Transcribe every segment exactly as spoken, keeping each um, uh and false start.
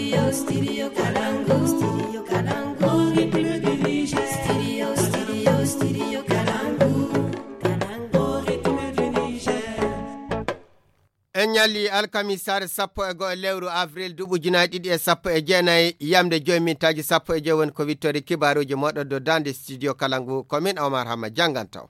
Studio Kalangu, Studio Kalangu, Ritme du Niger. Studio, Studio, Studio Kalangu, Kalangu, Ritme du Niger. En ñalli alkamisaare sappo e go'o lewru avril duuɓi ujunaaji ɗiɗi e sappo e jeenayi, yamde joyi mintaaji sappo e joyi woni ko wittori kibaaruuji mooɗon dow daande studio kala ngu, ko min Omar Hamma jannganto.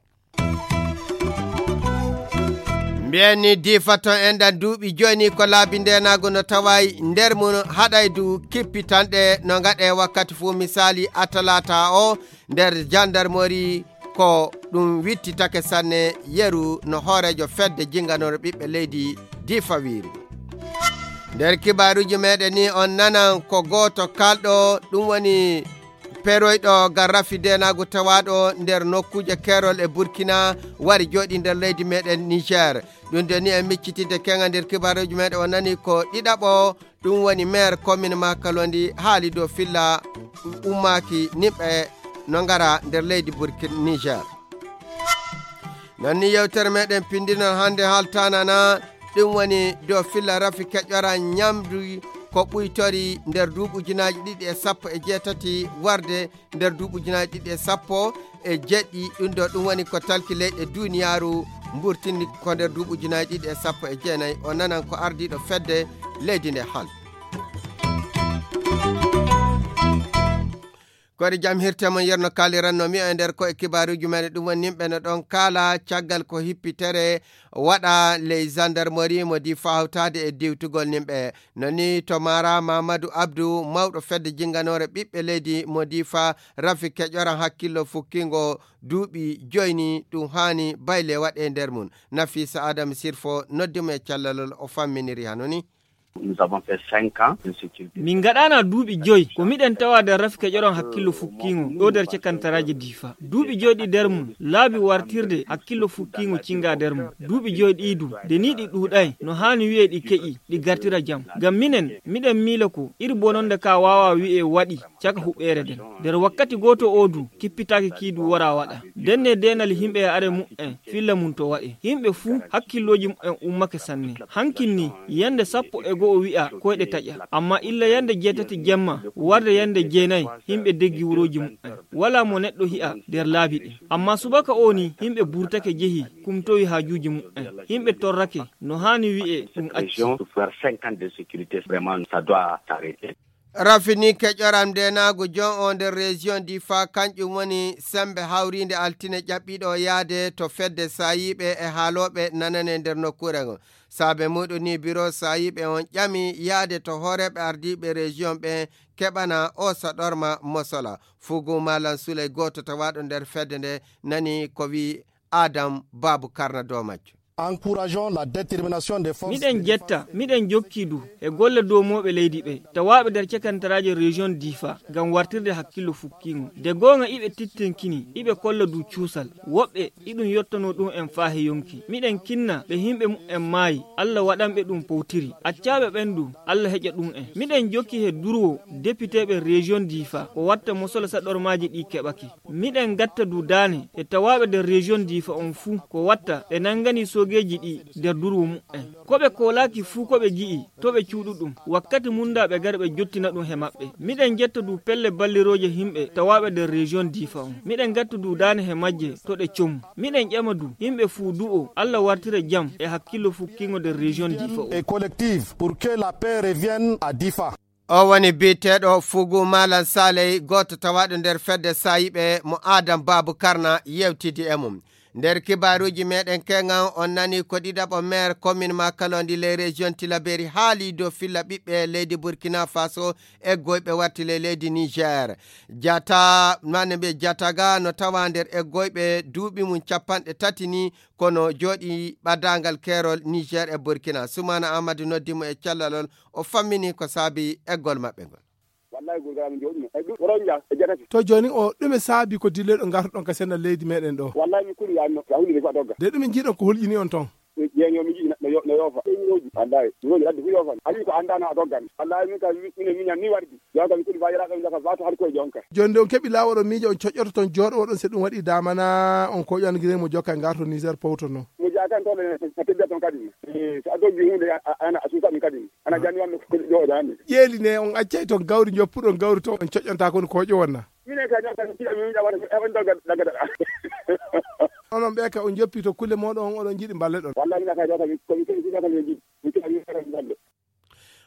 Mbiyen ni diifa ton en ɗan duuɓi jooni ko laabi ndeenaagu no tawaay nder mum haɗaydu kippitanɗe no ngaɗe wakkati fuu misaali a talaata o nder jandarmori ko ɗum wittitake sanne yeru no hooreejo fedde jinganore ɓiɓɓe leydi diifa wiiri. Nder kibaaruuji meɗen ni on nanan ko gooto kalɗo ɗum woni peroyɗo garrafi deenaagu tawaaɗo nder nokkuuje keerol e burkina wari jooɗi nder leydi meɗen niger. Ɗum de ni en miccitidde keŋa nder kibaaruuji meɗen o nani ko ɗiɗaɓo ɗum woni maire commune makalondi haali dow filla ummaaki nimɓe no ngara nder leydi burkina niger. Non ni yewtere meɗen pindinon hannde haltanana ɗum woni dow filla rafi keƴora ñamdu ko ɓuytori nder duuɓi ujunaaji ɗiɗi e sappo e jeetati warde nder duuɓi ujunaaji ɗiɗi e sappo e jeɗɗi. Ɗum ɗo ɗum woni ko talki leyɗe duniyaaru mburtini ko nder duuɓi ujunaaji ɗiɗi e sappo e jeenayi o nanan ko ardiiɗo fedde leydi nde hal. Koɗe jam hirte mon yerno kaaliranno mi e nder ko e kibaaruuji men ɗum woni nimɓe no ɗon kaala caggal ko hippitere waɗa ley gendarmerie mo di fawtaade e diwtugol nimɓe. No ni to mara mamadou abdou mawɗo fedde jinganore ɓiɓɓe leydi mo di fa rafi keƴoran hakkillo fukkingo duuɓi joyni ɗum haani bayle waɗe nder mum. Nafisa adam sirfo noddimo e callalol o famminiri hano ni. Nous avons fait cinq ans de sécurité. Min ngaɗana duuɓi joyi ko miɗen tawa nder rafi keƴoron hakkillo fukkiŋo ɗo nder cekantaraaji difa. Duuɓi joyi ɗi nder mum laabi wartirde hakkillo fukkiŋo cinga nder mum. Duuɓi joyi ɗi du nde ni ɗi ɗuuɗay no haani wi'e ɗi keƴi ɗi gartira jam. Ngam minen miɗen miila ko iri bononde ka waawa wi'e waɗi caka huɓeere nden. Nder wakkati gooto o du kippitaaki kii du wara waɗa. Nden ne deenal himɓe e are mu'en filla mum to waɗe. Himɓe fuu hakkillooji mu'en ummake sanne. Hankin ni yande sappo e go'o wi'a koyɗe taƴa. Amma illa yande jeetati jemma warde yande jeenayi himɓe deggi wurooji mu'en. Walaa mo neɗɗo hi'a nder laabi ɗin. Amma subaka o ni himɓe burtake jehi kumtowi haajuuji mu'en. Himɓe torrake no haani wi'e ɗum acci. Pour faire cinq ans de sécurité, vraiment, ça doit s'arrêter. Rafini keƴoram ndenaagu jon o nder région difa kanƴum woni sembe hawriinde altine ƴaɓɓiiɗo yaade to fedde saayiiɓe e haalooɓe nanane nder nokkuure ngon. Saabe muɗum ni biro saayiiɓe on ƴami yaade to hooreeɓe ardiiɓe région ɓe keɓana o saɗorma mosola. Fugu malan suley gooto tawaaɗo nder fedde nde nani ko wi adam babu karna dow majjo. Encourageons la détermination des forces. Miɗen jetta miɗen jokki du e golle doomooɓe leydi ɓe tawaaɓe nder cekantaraaji région difa ngam wartirde hakkillo fukkiŋo. De goonga iɓe tittinkini iɓe kolla du cuusal. Woɓɓe iɗum yottanoo ɗum en faa he yonki. Miɗen kinna ɓe himɓe mu'en maayi allah waɗanɓe ɗum powtiri. Accaaɓe ɓen du allah heƴa ɗum en. Miɗen jokki he durwo depiteeɓe région difa ko watta mosola saɗormaaji ɗi keɓake. Miɗen gatta du daane e tawaaɓe nder région difa on fuu ko watta ɓe nangani soogeeji ɗi nder durwo mu'en. Ko ɓe koolaaki fuu ko ɓe gi'i to ɓe cuuɗu ɗum wakkati munda ɓe gari ɓe jottina ɗum he maɓɓe. Miɗen jetta du pelle ballirooje himɓe tawaaɓe nder région difa on. Miɗen gatta du daane he majje to ɗe comu. Miɗen ƴama du himɓe fuu du'o allah wartira jam e hakkillo fukkiŋo nder région difa on. Et collective pour que la paix revienne à difa. O woni biyeteeɗo fugu malan saley gooto tawaaɗo nder fedde saayiɓe mo adam babu karna yewtidi e mum. Nder kibaaruuji meɗen keŋan on nani ko ɗiɗaɓo maire commune makalondi ley région tilaberi haali dow filla ɓiɓɓe leydi burkina faso eggoyɓe watti ley leydi niger. Jata mane mbiye jataga no tawa nder eggoyɓe duuɓi mum capanɗe tati ni kono jooɗi ɓadaangal keerol niger e burkina sumana amadou noddi mo e callalol o fammini ko saabi eggol maɓɓe ngol. Wallahi gurgara min jooɗino e ɗum ronja e jatati. To jooni o ɗume saabi ko dilleɗo ngartoɗon ka senda leydi meɗen ɗo? Wallahi mi kuli yaani no ya hundi ko dogga. De ɗume jiiɗon ko hulƴini on ton? Jeeño mi jiɗi no yo- no yoofa eñirooji wallahi miroji addi fu yoofan ali ko andana a doggan. Wallahi min ka mine miñan ni wardi. Jonka mi kuli fa yaraɓe mi jaka fa to har koye jonka. Joni de on keɓi lawol o miijo on coƴƴoto ton jooɗo oɗon si ɗum waɗi damana on koƴan gine mo jokka ngarto niger powtono. Mo A tan toon, a tedda toon kadi. Eh, so a doggi huunde, a, a, ana a suusa ɗum kadi. Ana janngi wonde ko ɗo ɗaani. Ƴeeli ne, on accay toon gawri, njoppuɗon gawri toon, on coƴƴanta kon ko ƴowanna. Minen kay, ɗon kadi, ɗon kadi, ɗon kadi, ɗon kadi. Onon ɓe ka on joppi to kulle mooɗon, on oɗon njiɗi mballe ɗon. Wallahi, mina kay, ɗo kadi, ko mi kadi, ɗo kadi, mi jiɗi. Mi kadi, mi kadi, mi kadi.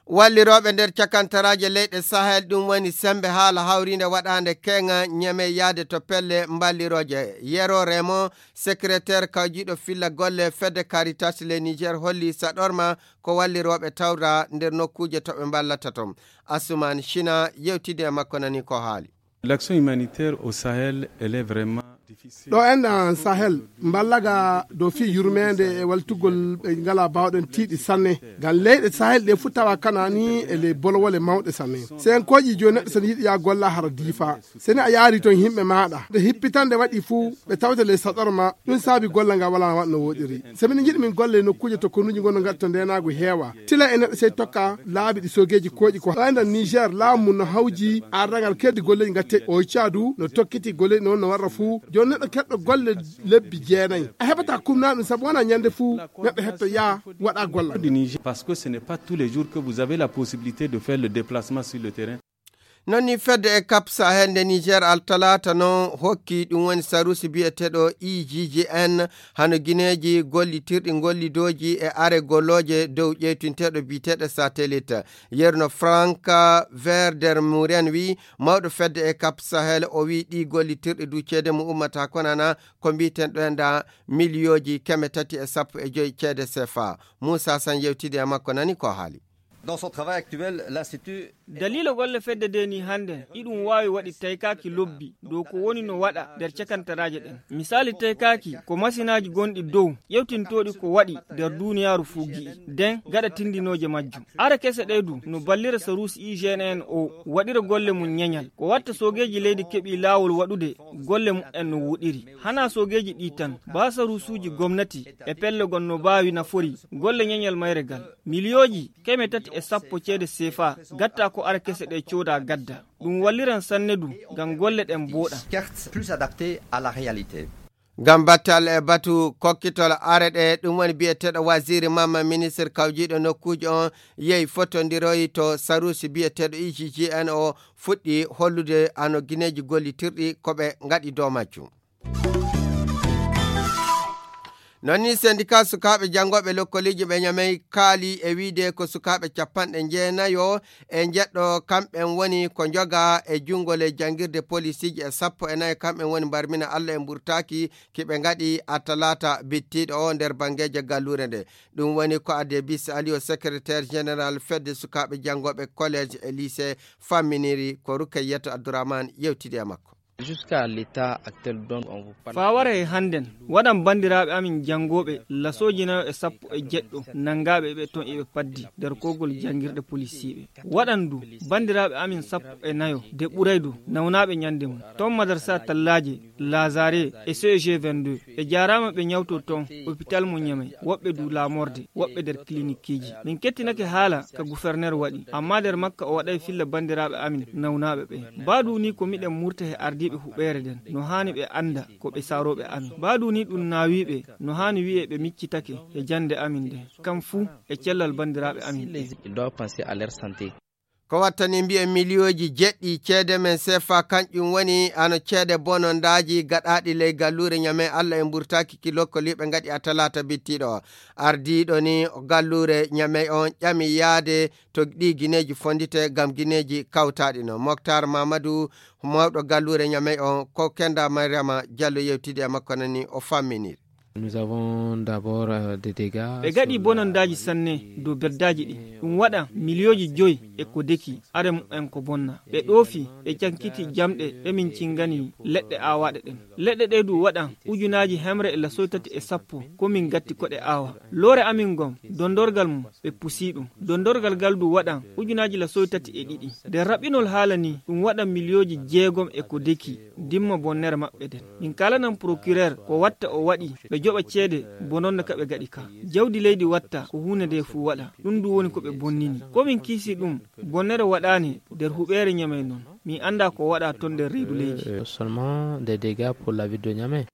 Wallirooɓe nder cakantaraaje leyɗe Sahel, ɗum woni semmbe haala hawriinde waɗaande keŋa ñeme yahde to pelle mballirooje. Yero Remo, secrétaire kawjiiɗo filla golle fedde Caritas le Niger, holli saɗorma ko wallirooɓe tawra nder nokkuuje to ɓe mballata toon. Asuman Shina yewtidi e makko, nani ko haali. L'action humanitaire au Sahel, elle est vraiment difficile. Ɗo enɗan Sahel, mballaga dow fii yurmeende e waltugol ɓe ngalaa baawɗen tiiɗi sanne. Ngam leyɗe Sahel ɗe fuu tawa kanaa ni e ley bolwole mawɗe sanne. Senkooji jooni neɗɗo so ne yiɗi yaa golla hara diifa. So ne a yaari toon yimɓe maaɗa. Nde hippitande waɗi fuu, ɓe tawte ley saɗorma, ɗum saabi golla nga walaa waɗ no woɗiri. So minen njiɗi min golle nokkuuje to konuuji ngonno ngaɗi to ndeenaagu heewa. Tila e neɗɗo sey tokka laabi ɗi sogeeji kooƴi ko. Ɗo enɗan Niger, laamu mum no hawji ardangal keddi golleeji ngatte. O Caadu no tokkiti golleeji noon no warra fuu. Jooni neɗɗo keɗɗo golle lebbi jeenayi. A heɓata kumnaa ɗum sabu wonaa ñande fuu neɗɗo heɓta yaa waɗa golla. Parce que ce n'est pas tous les jours que vous avez la possibilité de faire le déplacement sur le terrain. Non ni fedde e Cap Sahel nde Niger altalaata noon hokki ɗum woni sarusi biyeteeɗo I G G N hano gineeji gollitirɗi gollidooji e are gollooje dow ƴeytinteeɗo biyeteeɗo satelit. Yerno Frank Verder Muren wi mawɗo fedde e Cap Sahel o wi ɗi gollitirɗi du ceede mo ummata konana ko mbiyeten ɗo enda miliyooji keme tati e sappo e joyi ceede sefa. Moussa San yewtidi e makko nani ko haali. Dans son travail actuel, l'Institut Daliila golle fedde de ni hannden iɗum waawi waɗi taykaaki lobbi dow ko woni no waɗa nder cakantaraaje ɗen. Misaali taykaaki ko masinaaji gonɗi dow ƴewtintooɗi ko waɗi nder duuniyaaru fuu gi'i den gaɗa tindinooje majjum. Are kese ɗe du no ballira saruusi I G N N o waɗira golle mum ñeñal. Ko watta soogeeji leydi keɓii laawol waɗude golle mum en no woɗiri. Hanaa soogeeji ɗi tan, baa saruusuuji gomnati e pelle gon no baawi nafori golle ñeñal mayre gal. Miliyooji keme tati e sappo ceede sefa gatta ko are kese ɗe cooda gadda. Ɗum walliran sanne du ngam golle ɗen booɗa. Certes, plus adapté à la réalité. Ngam battal e batu kokkitol are ɗe, ɗum woni biyeteeɗo waziri mamma ministre kawjiiɗo nokkuuji on yehi fotondiroyi to sarusi biyeteeɗo I G G N o fuɗɗi hollude ano gineeji gollitirɗi ko ɓe ngaɗi dow majjum. Non ni sendika sukaaɓe janngooɓe lokkoliiji ɓe Ñamey kaali e wiide ko sukaaɓe capanɗe jeenayo e njeɗɗo kamɓen woni ko njoga e junngo ley janngirde polisiiji e sappo e nayo kamɓen woni mbarmina Alla e mburtaaki ki ɓe ngaɗi a talaata bittiiɗo o nder banngeeje galluure nde. Ɗum woni ko Adebis Aliyo, secrétaire général fedde sukaaɓe janngooɓe collège e lycée famminiri ko Rukayyatu Abdourahmane yewtidi e makko. Jusqu'à l'état actuel dont on vous parle. Faa wara e hannden, waɗan banndiraaɓe amin janngooɓe lasooji nayo e sappo e jeɗɗo nanngaaɓe ɓe ton iɓe paddi nder kogol janngirɗe polisiiɓe. Waɗan du banndiraaɓe amin sappo e nayo de ɓuray du nawnaaɓe ñande mum. Ton madarsa tallaaje, Lazare e C E G vingt-deux. Ɓe jaaraama ɓe ñawto ton hôpital mo Ñamey, woɓɓe du laamorde, woɓɓe nder kilinikiiji. Min kettinake haala ka guferner waɗi, amma nder makka o waɗay filla banndiraaɓe amin nawnaaɓe ɓe. Baa du ni ko miɗen murta he ardiiɓe huɓeere nden, no haani ɓe annda ko ɓe saarooɓe amin. Baa du ni ɗum naawiiɓe, no haani wi'e ɓe miccitake he jannde amin nden. Kam fuu e cellal banndiraaɓe amin ɓe. Ils doivent penser à leur santé. Ko wattani mbi'e miliyooji jeɗɗi ceede men sefa, kanƴum woni ano ceede bonondaaji gaɗaaɗi ley galluure Ñamey Alla e mburtaaki ki lokkoliiɓe ngaɗi a talaata bittiiɗo. Ardiiɗo ni galluure Ñamey on ƴami yaade to ɗi gineeji fondite ngam gineeji kawtaaɗi no. Moktar Mamadou, mawɗo galluure Ñamey on, ko Kenda Mariama Diallo yewtidi e makko nani o famminiri. Nous avons d'abord, euh, des dégâts ɓe gaɗi sur la bonondaaji sanne dow beddaaji ɗi. Ɗum waɗa miliyooji joyi e ko deki, are mumen ko bonna. Ɓe ɗoofi, ɓe cankiti jamɗe ɗe min cingani leɗɗe aawaaɗe ɗen. Leɗɗe ɗe du waɗan ujunaaji hemre e lasoy tati e sappo, ko min gatti ko ɗe aawa. Loore amin ngon, dondorgal mum, ɓe pusi ɗum. Dondorgal gal du waɗan ujunaaji lasoy tati e ɗiɗi. Nder raɓɓinol haala ni, ɗum waɗan miliyooji jeegom e ko deki. Dimma bonnere maɓɓe nden. Min kaalanan procureur ko watta o waɗi ɓe joɓa ceede bononde ka ɓe gaɗi ka. Jawdi leydi watta ko huunde nde fuu waɗa. Ɗum du woni ko ɓe bonnini. Ko min kiisi ɗum, bonnere waɗaani nder huɓeere Ñamey non. Min annda ko waɗa ton nder reedu leydi. Euh, seulement des dégâts pour la ville de Niamey.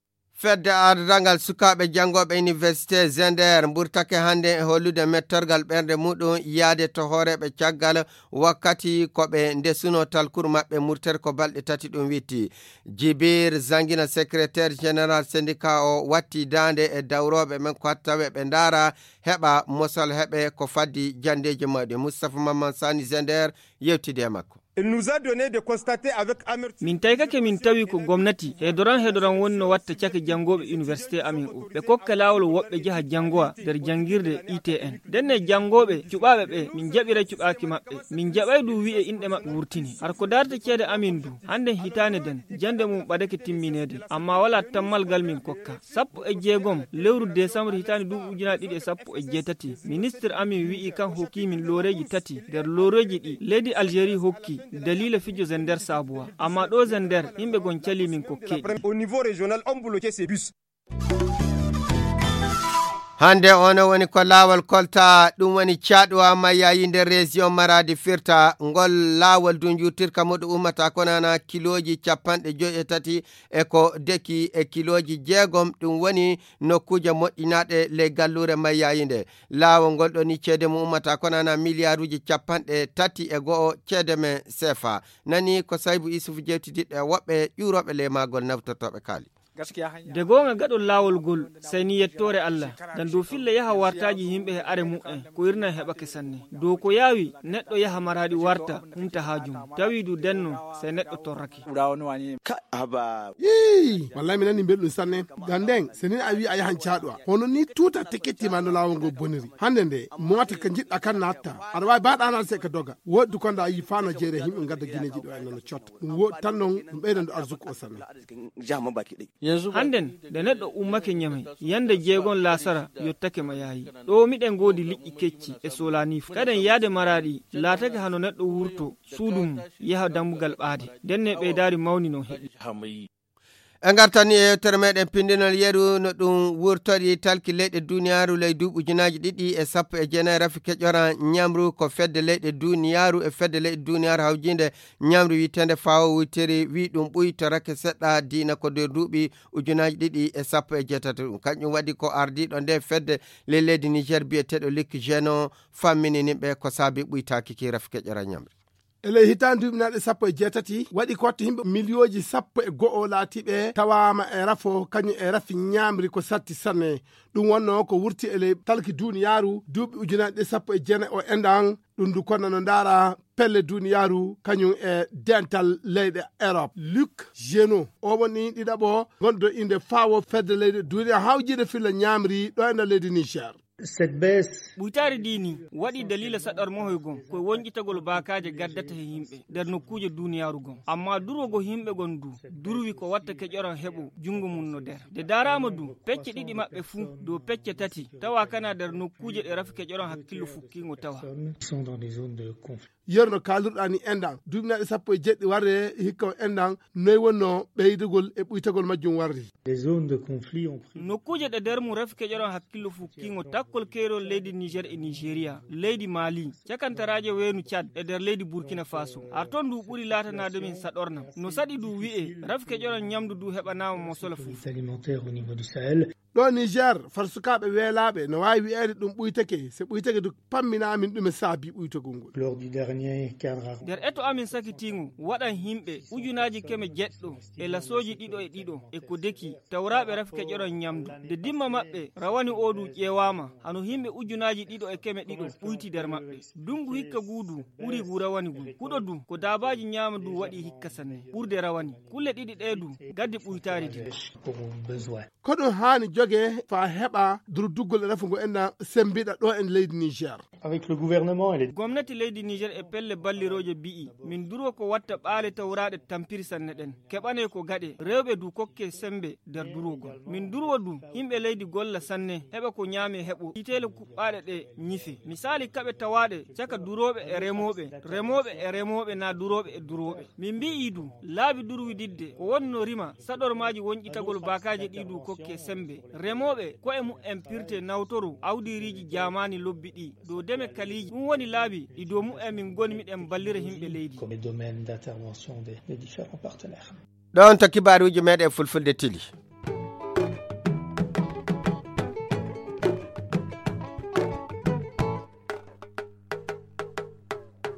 Fedde ardangal sukaaɓe janngooɓe iniwersite Zender mburtake hannde e hollude mettorgal ɓernde muɗum yaade to hooreeɓe caggal wakkati ko ɓe ndesuno talkuru maɓɓe murtere ko balɗe tati ɗum witti. Jibir Zangina, secrétaire général syndicat o, watti daande e dawrooɓe men ko tawe ɓe ndaara heɓa mosal heɓe ko faddi janndeeji mawɗi. Moustapha Mamman Sani Zender yewtidi e makko. Il nous a donné de constater avec amertume. Min taykake min tawi ko gomnati hedoran hedoran woni no watta cake janngooɓe université amin o. Ɓe kokka laawol woɓɓe jaha janngowa nder janngirde I T N. Ndenne janngooɓe cuɓaaɓe ɓe min jaɓira cuɓaaki maɓɓe. Min jaɓay ɗum wi'e inɗe maɓɓe wurtini. Har ko darta ceede amin du, hannde hitaande den, jannde mum ɓadake timmineede. Amma walaa tammalgal min kokka. Sappo e jeegom lewru desambre hitaande duuɓi ujunaaji ɗiɗi e sappo e jeetati, ministre amin wi'i kan hokki min looreeji tati nder looreeji ɗi leydi Algérie hokki daliila fijo Zender Sabuwa. Amma ɗo Zender, yimɓe gon cali min kokke. Au niveau régional, on bloqué ces bus. Hannde ono woni ko laawol kolta, ɗum woni caɗuwa mayyayi nder région Maradi firta. Ngol laawol du njuutirka muɗum ummata ko nana kilooji capanɗe joyi e tati e ko deki e kilooji jeegom, ɗum woni nokkuuje moƴƴinaaɗe ley galluure mayyayi nde. Laawol ngol ɗo ni ceede mum ummata ko nana miliyaaruuji capanɗe tati e go'o ceede men seefa. Nani ko Saybu Isufu jewtidiɗɗo e woɓɓe ƴuurooɓe ley maagol nawtortooɓe kaali. De goonga gaɗol laawol ngol, sey ni yettoore Allah, ngam dow filla yaha wartaaji yimɓe e are mu'en, ko irna heɓake sanne. Dow ko yaawi neɗɗo yaha Maradi warta, humta haaju mum. Tawi du denno, sey neɗɗo torrake. Ka haba. Ii, wallahi mi nani belɗum sanne. Ngam nden, se ni a wi a yahan caɗuwa. Hono ni tuta tikiti ma no laawol ngol boniri. Hannde nde, mota ka njiɗɗa kan natta. Aɗa waawi baɗa anal se ka doga. Woɗɗi ko nda yi fano jeere yimɓe ngadda gineeji ɗo e nana cotta. Ɗum woɗɗi tan non, ɗum ɓeydan ɗo arsuku o sanne. Hannden, nde neɗɗo ummake Ñamey, yande jeegon laasara yottake ma yaayi. Ɗo miɗen ngoodi liƴƴi kecci e soolanii fu. Kaden yaade Maraɗi laatake hano neɗɗo wurto suudu mum, yaha dambugal ɓaade. Ndenne ɓeydaari mawni non heɓi. En ngartani e yewtere meɗen pindinol yeru no ɗum wurtori talki leyɗe duniyaaru ley duuɓi ujunaaji ɗiɗi e sappo e jeenayi. Rafi keƴora ñamru ko fedde leyɗe duniyaaru e fedde leyɗe duniyaaru hawjinde ñamru wi'eteende fawo wuytiri wi ɗum ɓuytorake seɗɗa diina ko nder duuɓi ujunaaji ɗiɗi e sappo e jeetati. Ɗum kanƴum waɗi ko ardiiɗo nde fedde ley leydi Niger biyeteeɗo Luc Geno fammini nimɓe ko saabi ɓuytaaki ki rafi keƴora ñamri. E ley hitaande duuɓinaaɗe sappo e jeetati, waɗi ko watta yimɓe miliyooji sappo e go'o laatiiɓe tawaama e rafo, kañum e rafi ñaamri ko satti sanne. Ɗum wonnoo ko wurti e ley talki duuniyaaru duuɓi ujunaaji ɗiɗi sappo e jeenayi o enɗan. Ɗum ndu konna no ndaara pelle duuniyaaru kañum e dental leyɗe Erop. Luc Geno, o woni ɗiɗaɓo gonɗo innde fawo fedde leyɗe duuniya hawjiinde filla ñaamri ɗo e nder leydi Niger. Cette baisse. Ɓuytaari dii nii waɗi daliila saɗormohoy gom ko wonƴitagol baakaaje gaddata he yimɓe nder nokkuuje duuniyaaru gom. Amma durwogo yimɓe gon du durwi ko watta keƴoran heɓo junngo mum no nder. Nde daaraama du pecce ɗiɗi maɓɓe fuu dow pecce tati tawa kana nder nokkuuje ɗe rafi keƴoran hakkillo fukkiingo tawa. Sont dans des zones de conflit. Yeru no kaalirɗaa ni enɗan, duuɓinaaɗe sappo e jeeɗiɗi warre hikka o enɗan, noy wonnoo ɓeydugol e ɓuytagol majjum warri? Des zones de conflit ont pris. Nokkuuje ɗe nder mum rafi keƴoran hakkillo fukkiingo takkol keerol leydi Niger e Nigeria, leydi Mali, cakantaraaje weenu Tchad e nder leydi Burkina Faso. Har ton ndu ɓuri laatanaade min saɗornam. No saɗi du wi'e, rafi keƴoran ñamdu du heɓanaama mosola fuf. Sécurité alimentaire au niveau du Sahel. Ɗo Niger, far sukaaɓe weelaaɓe no waawi wi'eede ɗum ɓuytake, se ɓuytake du pamminaa min ɗume saabi ɓuytagol ngol. Lors du dernier cadre. Nder eto amin sakitiingo waɗan yimɓe ujunaaji keme jeɗɗo e lasooji ɗiɗo e ɗiɗo e ko deki tawraaɓe rafi keƴoran ñamdu. Nde dimma maɓɓe rawani oo du ƴeewaama, hano yimɓe ujunaaji ɗiɗo e keme ɗiɗo ɓuyti nder maɓɓe. Dungu hikka guu du ɓuri ngu rawani ngun. Huɗo du ko daabaaji ñaama du waɗi hikka sanne. Ɓurde rawani. Kulle ɗiɗi ɗee du gaddi ɓuytaari din. Pour besoin. Ko ɗum haani jogee faa heɓa durduggol e rafu ngo enɗan semmbiɗa ɗo e leydi Niger. Avec le gouvernement et les. Gomnati leydi Niger e pelle ballirooje bi'i, min durwa ko watta ɓaale tawraaɗe tampiri sanne ɗen. Keɓanee ko gaɗe, rewɓe du kokkee semmbe nder durwogol. Min durwa du, yimɓe leydi golla sanne, heɓa ko ñaamee heɓo, iteele kuɓɓaaɗe ɗe ñife. Misaali kaɓe tawaaɗe caka durooɓe e remooɓe, remooɓe e remooɓe naa durooɓe e durooɓe. Min mbi'ii du, laabi durwididde ko wonno rima saɗormaaji wonƴitagol baakaaje ɗii du kokkee semmbe. Remooɓe ko'e mu'en pirtee nawtoro awdiiriiji jaamaani lobbi ɗii dow deme kaliiji. Ɗum woni laabi ɗi dow mu'en min ngoni miɗen ballira yimɓe leydi. Comme les domaines d'intervention des, des différents partenaires. Ɗoon to kibaaruuji meɗen fulfulde tili.